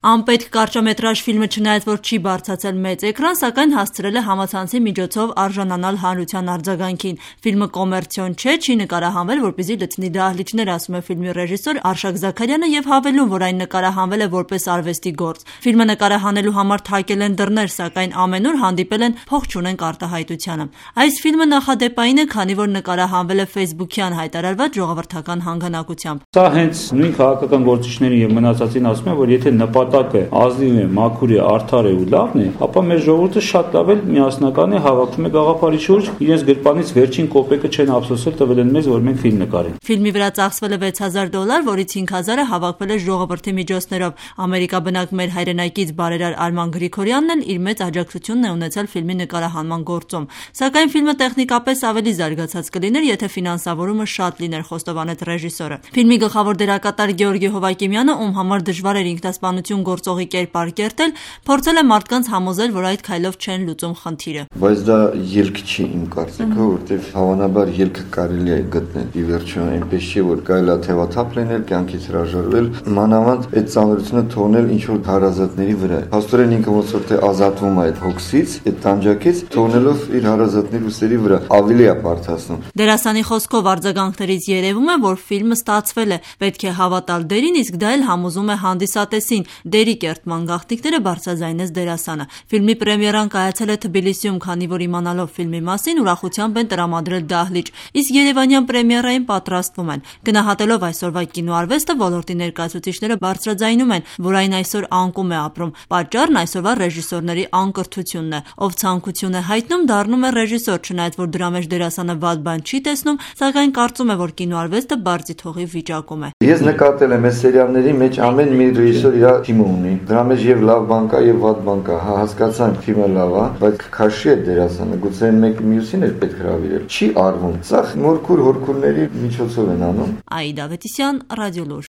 Անպետք կարճամետրաժ ֆիլմը չնայած որ չի բարձրացել մեծ էկրան, սակայն հասցրել է համացանցի միջոցով արժանանալ հանրության արձագանքին։ Ֆիլմը կոմերցիոն չէ, չի նկարահանվել, որպեսզի լցնի դահլիճներ, ասում է ֆիլմի ռեժիսոր Արշակ Զաքարյանը եւ հավելում, որ այն նկարահանվել է որպես արվեստի գործ։ Ֆիլմը նկարահանելու համար թակել են դռներ, սակայն ամենուր հանդիպել են փող չունենք արտահայտությանը։ Այս ֆիլմը նախադեպային է, քանի որ նկարահանվել է Facebook-յան հայտարարված ժողովրդական հանգանակությամբ։ Սա հենց նույն քաղաքական գործիչներին եւ մնացածին ասում է, որ եթե նպատակը ազնիվ է, մաքուր է, արդար է ու լավն է, ապա մեր ժողովուրդը շատ լավ է միասնական է, հավաքվում է գաղափարի շուրջ, իրենց գրպանից վերջին կոպեկը չեն ափսոսել, տվել են մեզ, որ մենք ֆիլմ նկարենք։ Ֆիլմի վրա ծախսվել է $6,000, որից $5,000-ը հավաքվել է ժողովրդի միջոցներով։ Ամերիկաբնակ մեր հայրենակից բարերար Արման Գրիգորյանն էլ իր մեծ աջակցությունն է ունեցել ֆիլմի նկարահանման գործում։ Սակայն ֆիլմը տեխնիկապես ավելի զարգացած կլիներ, եթե ֆինանսավորումը շատ լիներ, խոստովանեց ռեժիսորը։ Ֆիլմի գլխավոր դերակատար Գեորգի Հովակիմյանը, ում համար դժվար էր ինքնասպանություն գործողի կերպար կերտել, փորձել է մարդկանց համոզել, որ այդ քայլով չեն լուծում խնդիրը։ Բայց դա ելք չի իմ կարծիքով, որտեղ հավանաբար ելքը կարելի է գտնել։ Ի վերջո այնպես չի, որ կարելի է թևաթափ լինել, կյանքից հրաժարվել, մանավանդ այդ ծանրությունը թողնել ինչ որ հարազատների վրա։ Փաստորեն ինքը ոնց որ թե ազատվում է այդ հոգսից, այդ տանջակից, թողնելով իր հարազատների ուսերի վրա ավելի է բարդացնում։ Դերասանի խոսքով արձագանքներից երևում է, որ ֆիլմը ստացվել է, պետք է հավատալ դերին, իսկ դա էլ համոզում է հանդիսատեսին։ Դերի կերտման գաղտնիքները բարձրաձայնեց դերասանը։ Ֆիլմի պրեմիերան կայացել է Թբիլիսիում, քանի որ իմանալով ֆիլմի մասին ուրախությամբ են տրամադրել դահլիճ, իսկ երևանյան պրեմիերային պատրաստվում են։ Գնահատելով այսօրվա կինոարվեստը, ոլորտի ներկայացուցիչները բարձրաձայնում են, որ այն այսօր անկում է ապրում։ Պատճառն այսօրվա ռեժիսորների անկրթությունն է։ Ով ցանկություն է հայտնում, դառնում է ռեժիսոր, չնայած որ դրա մեջ դերասանը վատ բան չի տեսնում, սակայն կարծում է, որ կինոարվեստը բարձի թողի վիճակում է։ Ես նկատել եմ այս սերիալների մեջ ամեն մի ռեժիսոր իր թիմը ունի։ Դրա մեջ եւ լավ բան կա եւ վատ բան կա։ Հա, հասկացանք թիմը լավ է, բայց քաշի է դերասանը, գուցե մեկ մյուսին էլ պետք հրավիրել։ Չի արվում։ Սա մորքուր հորքուրների միջոցով են անում։ Աիդա Ավետիսյան, Ռադիոլուր։